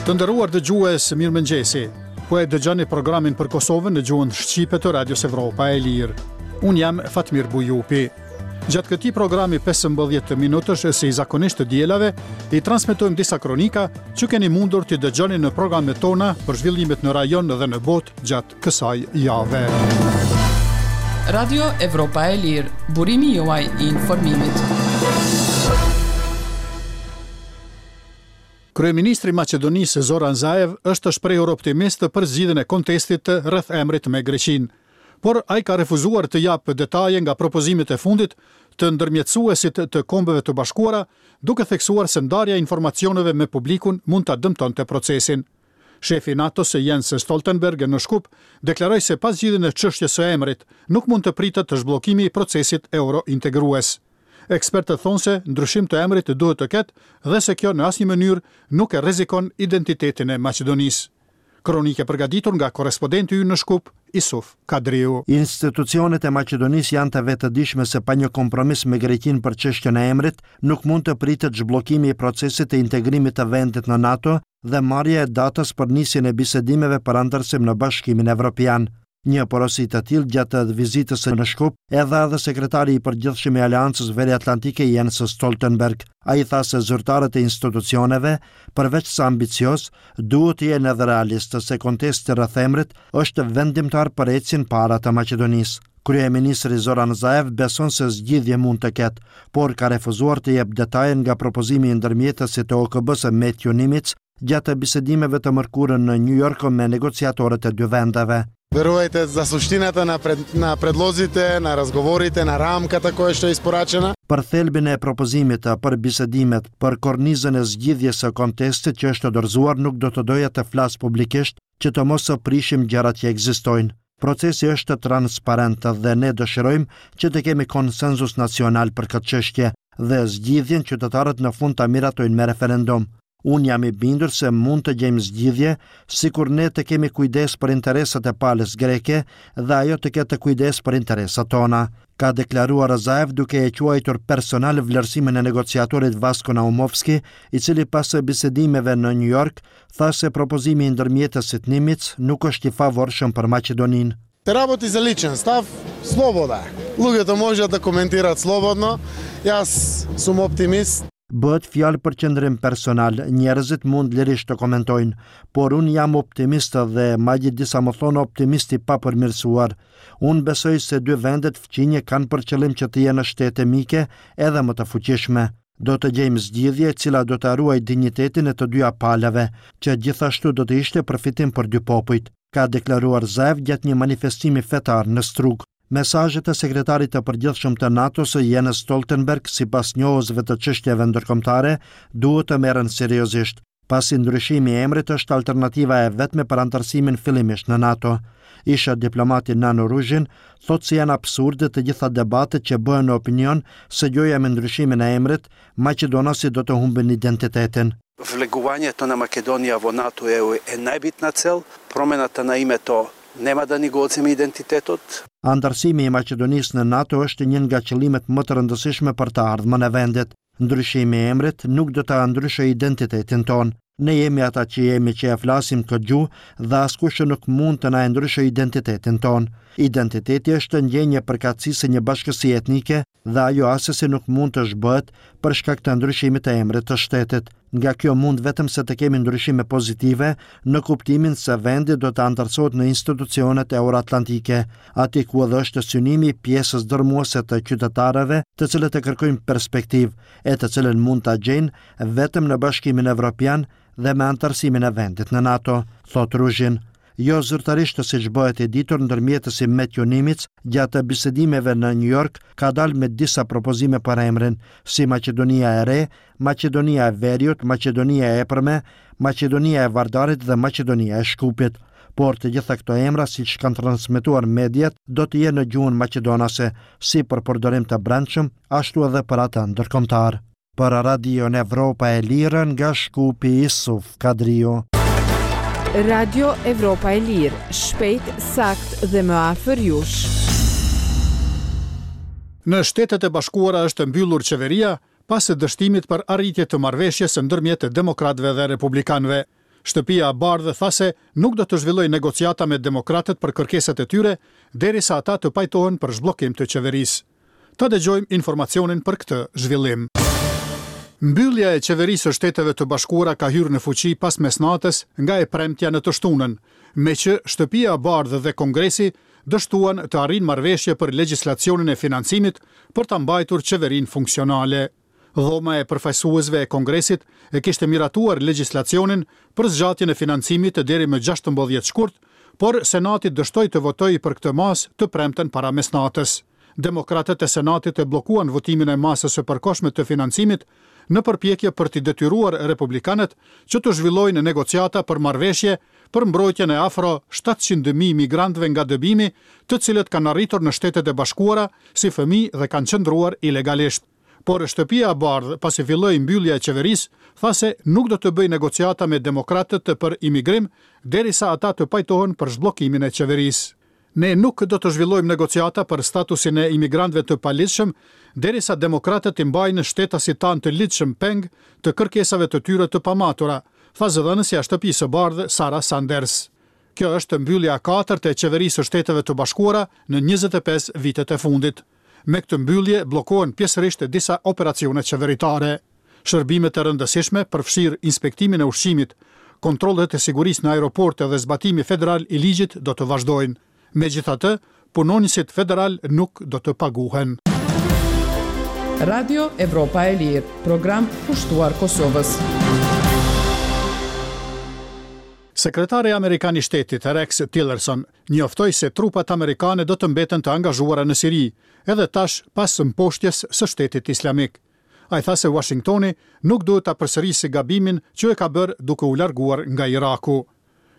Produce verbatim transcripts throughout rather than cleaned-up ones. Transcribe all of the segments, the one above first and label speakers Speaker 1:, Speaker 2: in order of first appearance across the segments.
Speaker 1: Të nderuar dëgjues, mirëmëngjesi. Po e dëgjoni programin për Kosovën në gjuhën shqipe të Radios Evropa e Lirë. Unë jam Fatmir Bujupi. Gjatë këtij programi pesëmbëdhjetë minutësh, si zakonisht të dielave, i transmetojmë disa kronika që keni mundur t'i dëgjoni në programet tona për zhvillimet në rajon dhe në botë gjatë kësaj jave.
Speaker 2: Radio Evropa e Lirë, burimi juaj i informimit.
Speaker 1: Kryeministri i Maqedonisë Zoran Zaev është shprehur optimist për zgjidhjen e kontestit rreth emrit me Greqinë. Por ai ka refuzuar të japë detaje nga propozimet e fundit të ndërmjetësuesit të Kombeve të Bashkuara, duke theksuar se ndarja e informacioneve me publikun mund ta dëmtonte procesin. Shefi i NATO-s Jens Stoltenberg në Shkup deklaroi se pa zgjidhjen e çështjes së emrit nuk mund të pritet të zhbllokimi i procesit eurointegrues. Ekspertët thonë se ndryshim të emrit duhet të ketë dhe se kjo në asnjë mënyrë nuk e rrezikon identitetin e Maqedonisë. Kronikë e përgatitur nga korrespondenti ynë në Shkup, Isuf Kadriu.
Speaker 3: Institucionet e Maqedonisë janë të vetëdijshme se pa një kompromis me Greqinë për çështjen e emrit, nuk mund të pritet zhbllokimi i procesit të integrimit të vendit në NATO dhe marrja e datës për nisjen e bisedimeve për anëtarësim në Bashkimin Evropian. Një porosi të tillë gjatë vizitës në Shkup e dha edhe sekretari i përgjithshëm i Aleancës Veriatlantike Jens Stoltenberg. Ai tha se zyrtarët e institucioneve, përveç se ambicioz, duhet të jenë edhe realistë se kontesti rreth emrit është vendimtar për ecjen para të Maqedonisë. Kryeministri Zoran Zaev beson se zgjidhje mund të ketë, por ka refuzuar të jep detaje nga propozimi i ndërmjetësit të O K B-së Matthew Nimitz gjatë bisedimeve të mërkurën në New York me negociatorët e dy vendeve.
Speaker 4: Верувајте за суштината на пред, на предлозите, на разговорите, на рамката која што е испорачена.
Speaker 3: Për thelbin e propozimit, për bisedimet, për kornizën e zgjidhjes së kontestit që është dorëzuar, nuk do të doja të flas publikisht që të mos prishim gjërat që ekzistojnë. Procesi është transparent dhe ne dëshirojmë që të kemi konsensus nacional për këtë çështje dhe zgjidhjen qytetarët në fund ta miratojnë me referendum. Unë jam i bindur se mund të gjejmë zgjidhje, sikur ne të kemi kujdes për interesat e palës greke dhe ajo të ketë kujdes për interesat tona, ka deklaruar Zaev duke e quajtur personal vlerësimin e negociatorit Vasko Naumovski, i cili pas bisedimeve në New York tha se propozimi i ndërmjetësit Nimitz nuk është i favorshëm për Maqedoninë.
Speaker 4: Се работи за личен став, слобода е. Луѓето можат да коментираат слободно. Јас сум оптимист.
Speaker 3: Bëhet fjalë për qëndrim personal, njerëzit mund lirisht të komentojnë, por unë jam optimist dhe madje disa më thonë optimist i papërmirësuar. Unë besoj se dy vendet fqinje kanë për qëllim që të jenë shtete mike edhe më të fuqishme. Do të gjejmë zgjidhje e cila do të ruajë dinjitetin e të dyja palëve, që gjithashtu do të ishte përfitim për dy popujt, ka deklaruar Zaev gjatë një manifestimi fetar në Strug. Mesazhet e sekretarit të përgjithshëm të NATO-s Jens Stoltenberg, sipas njohësve të çështjeve ndërkombëtare, duhet të merren seriozisht, pasi ndryshimi i emrit është alternativa e vetme për anëtarësimin fillimisht në NATO. Isha diplomati Nano Ruzhin thotë se janë absurde të gjitha debatet që bëhen në opinion se gjoja me ndryshimin e emrit, maqedonasit do të humbin identitetin.
Speaker 5: Влегувањето на Македонија во НАТО е, е најбитна цел, промената на името нема да ни го одземе идентитетот.
Speaker 3: Anëtarësimi i Maqedonisë në NATO është një nga qëllimet më të rëndësishme për të ardhmen e vendit. Ndryshimi i emrit nuk do ta ndryshojë identitetin tonë. Ne jemi ata që jemi që e flasim këtë gjuhë dhe askush nuk mund të na e ndryshojë identitetin tonë. Identiteti është ndjenjë e përkatësisë së një bashkësie etnike dhe ajo asesi nuk mund të zhbëhet për shkak të ndryshimit të emrit të shtetit. Nga kjo mund vetëm se të kemi ndryshime pozitive në kuptimin se vendi do të anëtarësohet në institucionet euroatlantike, aty ku edhe është synimi i pjesës dërmuese të qytetarëve, të cilët e kërkojnë perspektivë, e të cilën mund ta gjejnë vetëm në Bashkimin Evropian dhe me anëtarësimin e vendit në NATO, thot Ruzhin. Jo zyrtarisht siç bëhet e ditur, ndërmjetësi Matthew Nimitz gjatë bisedimeve në New York ka dalë me disa propozime për emrin, si Maqedonia e Re, Maqedonia e Veriut, Maqedonia e Epërme, Maqedonia e Vardarit dhe Maqedonia e Shkupit. Por të gjitha këto emra, siç kanë transmetuar mediat, do të jenë në gjuhën maqedonase, si për përdorim të brendshëm, ashtu edhe për atë ndërkombëtar. Për Radion Evropa e Lirë nga Shkupi, Isuf Kadriu.
Speaker 6: Radio Evropa e Lirë, shpejt, sakt dhe më afër jush.
Speaker 1: Në Shtetet e Bashkuara është mbyllur qeveria pas dështimit për arritje të marrëveshjes ndërmjet demokratëve dhe republikanëve. Shtëpia e Bardhë tha se nuk do të zhvillojë negociata me demokratët për kërkesat e tyre derisa ata të pajtohen për zhbllokim të qeverisë. Ta dëgjojmë informacionin për këtë zhvillim. Mbyllja e qeverisë së Shteteve të Bashkuara ka hyrë në fuqi pas mesnatës nga e premtja në të shtunën, me që Shtëpia e Bardhë dhe Kongresi dështuan të arrijnë marrëveshje për legjislacionin e financimit për ta mbajtur qeverinë funksionale. Dhoma e përfaqësuesve e Kongresit e kishte miratuar legjislacionin për zgjatjen e financimit deri më gjashtëmbëdhjetë shkurt, por Senati dështoi të votojë për këtë masë të premten para mesnatës. Demokratët e Senatit e bllokuan votimin e masës së përkohshme të financimit në përpjekje për t'i detyruar republikanët që të zhvillojnë negociata për marrëveshje për mbrojtjen e afro shtatëqind mijë migrantëve nga dëbimi, të cilët kanë arritur në Shtetet e Bashkuara si fëmijë dhe kanë qëndruar ilegalisht. Por Shtëpia e Bardhë, pasi filloi mbyllja e qeverisë, tha se nuk do të bëjë negociata me demokratët për imigrim derisa ata të pajtohen për zhbllokimin e qeverisë. Ne nuk do të zhvillojmë negociata për statusin e imigrantëve të paligjshëm derisa demokratët i mbajnë shtetasit tanë të ligjshëm peng të kërkesave të tyre të pamatura, tha zëdhënësja e Shtëpisë së Bardhë Sara Sanders. Kjo është mbyllja e katërt e qeverisë së Shteteve të Bashkuara në njëzet e pesë vitet e fundit. Me këtë mbyllje bllokohen pjesërisht disa operacione qeveritare. Shërbimet e rëndësishme përfshirë inspektimin e ushqimit, kontrollet e sigurisë në aeroporte dhe zbatimi federal i ligjit do të vazhdojnë. Megjithatë, punonjësit federal nuk do të paguhen.
Speaker 2: Radio Evropa e Lirë, program kushtuar Kosovës.
Speaker 1: Sekretari amerikan i shtetit Rex Tillerson njoftoi se trupat amerikane do të mbeten të angazhuara në Siri, edhe tash pas mposhtjes së Shtetit Islamik. Ai tha se Washingtoni nuk duhet ta përsërisë gabimin që e ka bërë duke u larguar nga Iraku.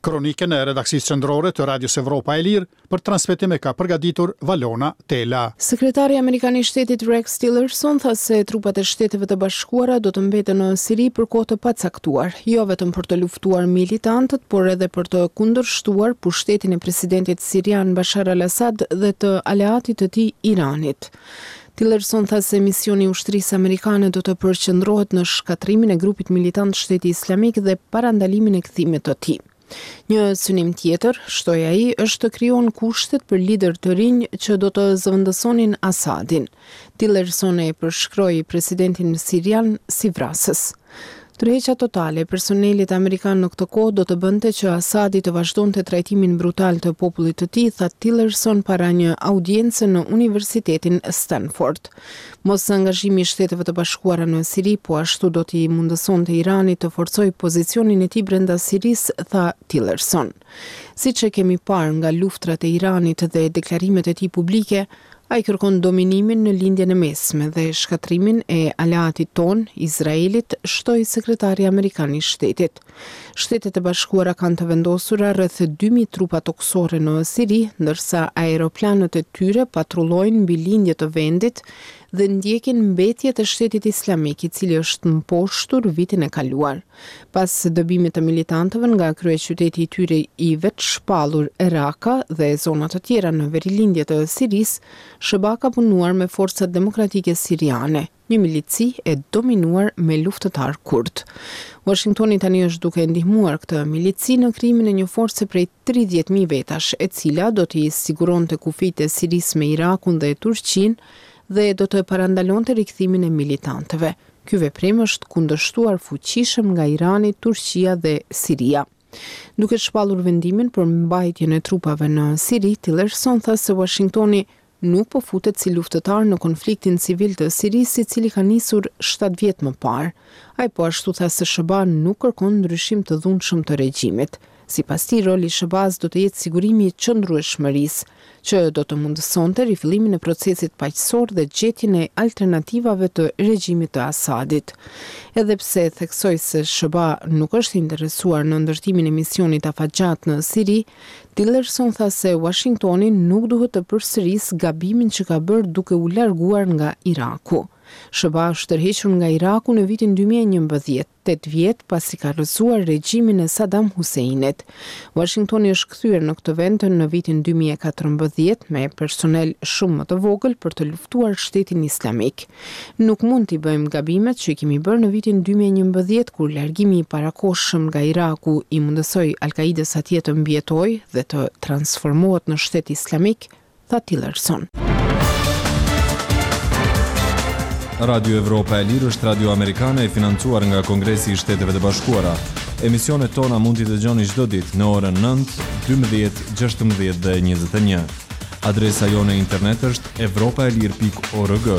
Speaker 1: Kronikën e redaksisë qendrore të Radios Evropa e Lirë për transmetim e ka përgatitur Valona Tela.
Speaker 6: Sekretari amerikan i shtetit Rex Tillerson tha se trupat e Shteteve të Bashkuara do të mbeten në Siri për kohë të pacaktuar, jo vetëm për të luftuar militantët, por edhe për të kundërshtuar pushtetin e presidentit sirian Bashar al-Assad dhe të aleatit të tij Iranit. Tillerson tha se misioni i ushtrisë amerikane do të përqendrohet në shkatërrimin e grupit militant Shteti Islamik dhe parandalimin e kthimit të tij. Një synim tjetër, shtoi ai, është të krijon kushtet për lider të rinj që do të zëvendësonin Assadin. Tillerson e përshkroi presidentin sirian si vrasës. Tërheqja totale e personelit amerikan në këtë kohë do të bënte që Assadi të vazhdonte trajtimin brutal të popullit të tij, tha Tillerson para një audience në Universitetin Stanford. Mos angazhimi i Shteteve të Bashkuara në Siri po ashtu do t'i mundësonte Iranit të forcojë pozicionin e tij brenda Sirisë, tha Tillerson. Siç e kemi parë nga luftrat e Iranit dhe deklarimet e tij publike, ai kërkon dominimin në lindjen e mesme dhe shkatërrimin e aleatit ton, Izraelit, shtoi sekretari amerikan i shtetit. Shtetet e Bashkuara kanë të vendosura rreth dy mijë trupa tokësore në Siri, ndërsa aeroplanët e tyre patrullojnë mbi lindje të vendit dhe ndjekin mbetjet e Shtetit Islamik, i cili është mposhtur vitin e kaluar. Pas dëbimit të militantëve nga kryeqyteti i tyre i vetëshpallur Raqqa dhe zona të tjera në verilindje të Sirisë, S H B A ka punuar me forcat demokratike siriane, një milici e dominuar me luftëtar kurd. Washingtoni tani është duke ndihmuar këtë milici në krijimin e një force prej tridhjetë mijë vetash, e cila do t'i siguronte kufijtë e Sirisë me Irakun dhe Turqinë dhe do të parandalonte rikthimin e militantëve. Ky veprim është kundërshtuar fuqishëm nga Irani, Turqia dhe Siria. Duke shpallur vendimin për mbajtjen e trupave në Siri, Tillerson tha se Washingtoni nuk po futet si luftëtar në konfliktin civil të Sirisë, i cili ka nisur shtatë vjet më parë. Ai po ashtu tha se S H B A nuk kërkon ndryshim të dhunshëm të regjimit. Sipas tij, roli i S H B A-s do të jetë sigurimi i qëndrueshmërisë, që do të mundësonte rifillimin e procesit paqësor dhe gjetjen e alternativave të regjimit të Assadit. Edhe pse theksoi se S H B A nuk është interesuar në ndërtimin e misionit afatgjatë në Siri, Tillerson tha se Washingtoni nuk duhet të përsërisë gabimin që ka bërë duke u larguar nga Iraku. S H B A është tërhequr nga Iraku në vitin dy mijë e njëmbëdhjetë, tetë vjet pasi ka rrëzuar regjimin e Saddam Husseinit. Washingtoni është kthyer në këtë vend në vitin dy mijë e katërmbëdhjetë me personel shumë më të vogël për të luftuar Shtetin Islamik. "Nuk mund t'i bëjmë gabimet që i kemi bërë në vitin dy mijë e njëmbëdhjetë, kur largimi i parakohshëm nga Iraku i mundësoi Al-Qaidës atje të mbijetojë dhe të transformohet në shtet islamik", tha Tillerson.
Speaker 7: Radio Evropa e Lirë është radio amerikane e financuar nga Kongresi i Shteteve të Bashkuara. Emisionet tona mund t'i dëgjoni çdo ditë në orën nëntë, dymbëdhjetë, gjashtëmbëdhjetë dhe njëzet e një. Adresa jonë e internet është evropaelir pikë org.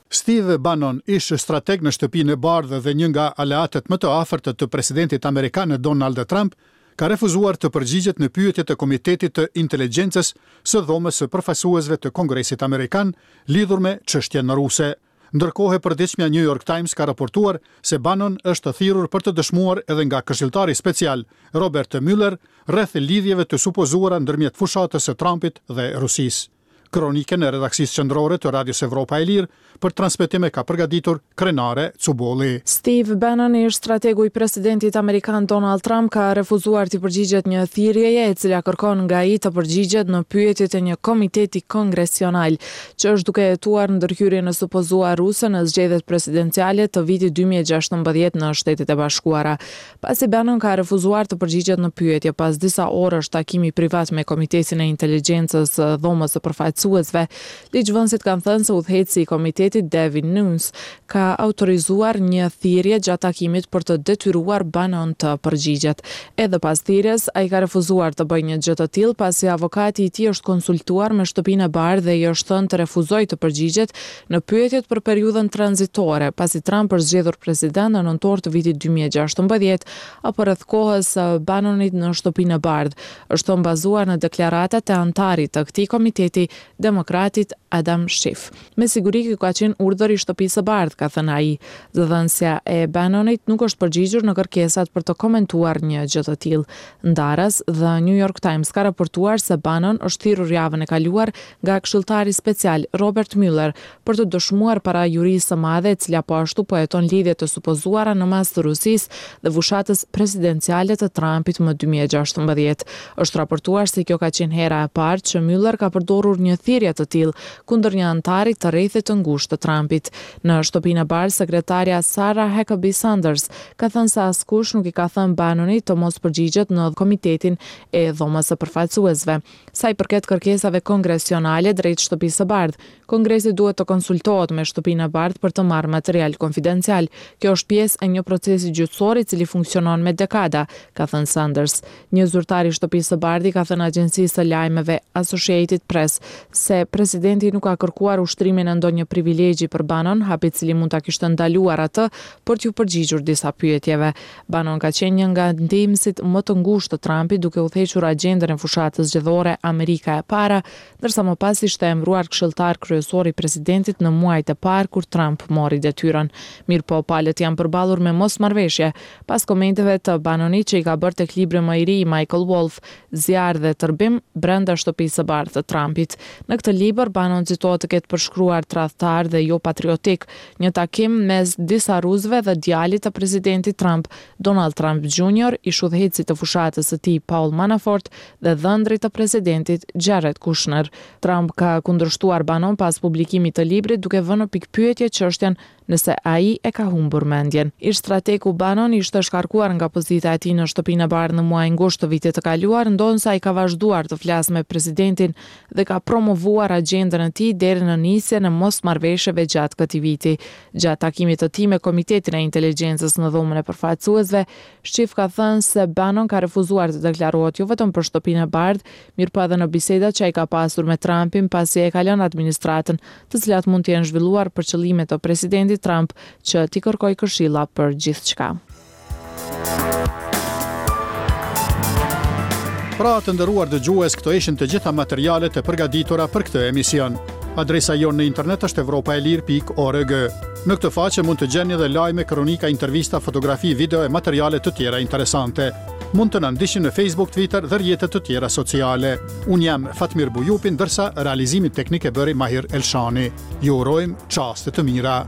Speaker 1: Steve Bannon, ish strateg në Shtëpinë e Bardhë dhe një nga aleatët më të afërt të presidentit amerikan Donald Trump, ka refuzuar të përgjigjet në pyetjet e Komitetit të Inteligjencës së Dhomës së Përfaqësuesve të Kongresit Amerikan lidhur me çështjen ruse. Ndërkohë, përditshmja New York Times ka raportuar se Bannon është thirrur për të dëshmuar edhe nga këshilltari special Robert Mueller rreth lidhjeve të supozuara ndërmjet fushatës së Trumpit dhe Rusisë. Kronikën e redaksisë qendrore të Radios Evropa e Lirë për transmetim e ka përgatitur Krenare Cubolli.
Speaker 8: Steve Bannon, ish strategu i presidentit amerikan Donald Trump, ka refuzuar t'i përgjigjet një thirrjeje e cila kërkon nga ai të përgjigjet në pyetjet e një komiteti kongresional që është duke hetuar ndërhyrjen e supozuar ruse në zgjedhjet presidenciale të vitit dy mijë e gjashtëmbëdhjetë në Shtetet e Bashkuara. Pasi Bannon ka refuzuar të përgjigjet në pyetje pas disa orësh takimi privat me Komitetin e Inteligjencës Dhomës së Përfaqësuesve, ligjvënësit kanë thënë se udhëheqësi i komitetit Devin Nunes ka autorizuar një thirrje gjatë takimit për të detyruar Bannon të përgjigjet. Edhe pas thirrjes, ai ka refuzuar të bëjë një gjë të tillë, pasi avokati i tij është konsultuar me Shtëpinë e Bardhë dhe i është thënë të refuzojë të përgjigjet në pyetjet për periudhën tranzitore, pasi Trump është zgjedhur president në nëntor të vitit dy mijë e gjashtëmbëdhjetë apo rreth kohës së Bannonit në Shtëpinë e Bardhë. Është bazuar në deklaratat e anëtarit të këtij komiteti, demokratit Adam Schiff. "Me siguri ky ka qenë urdhër i Shtëpisë së Bardhë", ka thënë ai. Zëdhënësja e Bannonit nuk është përgjigjur në kërkesat për të komentuar një gjë të tillë. Ndaras, The New York Times ka raportuar se Bannon është thirrur javën e kaluar nga këshilltari special Robert Mueller për të dëshmuar para jurisë së madhe, e cila po ashtu po heton lidhjet të supozuara në mas të Rusisë dhe fushatës presidenciale të Trumpit më dy mijë e gjashtëmbëdhjetë. Është raportuar se kjo ka qenë hera e parë që Mueller ka përdorur një thirrje të tillë kundër një anëtari të rrethit të ngushtë të Trumpit. Në Shtëpinë e Bardhë, sekretarja Sarah Huckabee Sanders ka thënë se askush nuk i ka thënë Bannonit të mos përgjigjet në komitetin e Dhomës së Përfaqësuesve. Sa i përket kërkesave kongresionale drejt Shtëpisë së Bardhë, Kongresi duhet të konsultohet me Shtëpinë e Bardhë për të marrë material konfidencial. "Kjo është pjesë e një procesi gjyqësor i cili funksionon me dekada", ka thënë Sanders. Një zyrtar i Shtëpisë së Bardhë i ka thënë agjencisë së lajmeve Associated Press se presidenti nuk ka kërkuar ushtrimin e ndonjë privilegji për Bannon, hap i cili mund ta kishte ndaluar atë për t'ju përgjigjur disa pyetjeve. Bannon ka qenë një nga ndihmësit më të ngushtë të Trumpit, duke udhëhequr agjendën e fushatës zgjedhore Amerika e Para, ndërsa më pas ishte emëruar këshilltar kryesor i presidentit në muajt e parë kur Trump mori detyrën. Mirëpo, palët janë përballur me mosmarrëveshje pas komenteve të Bannonit që i ka bërë tek libri më i ri i Michael Wolff, Zjarr dhe Tërbim brenda Shtëpisë së Bardhë të Trumpit. Në këtë libër Bannon citohet të ketë përshkruar tradhtar dhe jo patriotik një takim mes disa rusëve dhe djalit të presidentit Trump, Donald Trump Junior, ish udhëheqësit të fushatës së tij Paul Manafort dhe dhëndrit të presidentit Jared Kushner. Trump ka kundërshtuar Bannon pas publikimit të librit, duke vënë në pikëpyetje çështjen nëse ai e ka humbur mendjen. Ish strategu Bannon ishte shkarkuar nga pozita e tij në Shtëpinë e Bardhë në muajin gusht të vitit të kaluar, ndonëse ai ka vazhduar të flasë me presidentin dhe ka promovuar agjendën e tij deri në nisjen e mosmarrëveshjeve gjatë këtij viti. Gjatë takimit të tij me Komitetin e Inteligjencës në Dhomën e Përfaqësuesve, Schiff ka thënë se Bannon ka refuzuar të deklarohet jo vetëm për Shtëpinë e Bardhë, mirëpo edhe në bisedat që ai ka pasur me Trumpin pasi e ka lënë administratën, të cilat mund të jenë zhvilluar për qëllime të presidentit Trump që t'i kërkojë këshilla për gjithçka.
Speaker 1: Pra, të nderuar dëgjues, këto ishin të gjitha materialet e përgatitura për këtë emision. Adresa jonë në internet është evropaelir pikë org. Në këtë faqe mund të gjeni edhe lajme, kronika, intervista, fotografi, video e materiale të tjera interesante. Mund të na ndiqni në Facebook, Twitter dhe rrjete të tjera sociale. Unë jam Fatmir Bujupi, ndërsa realizimin teknik e bëri Mahir Elshani. Ju urojmë çaste të mira.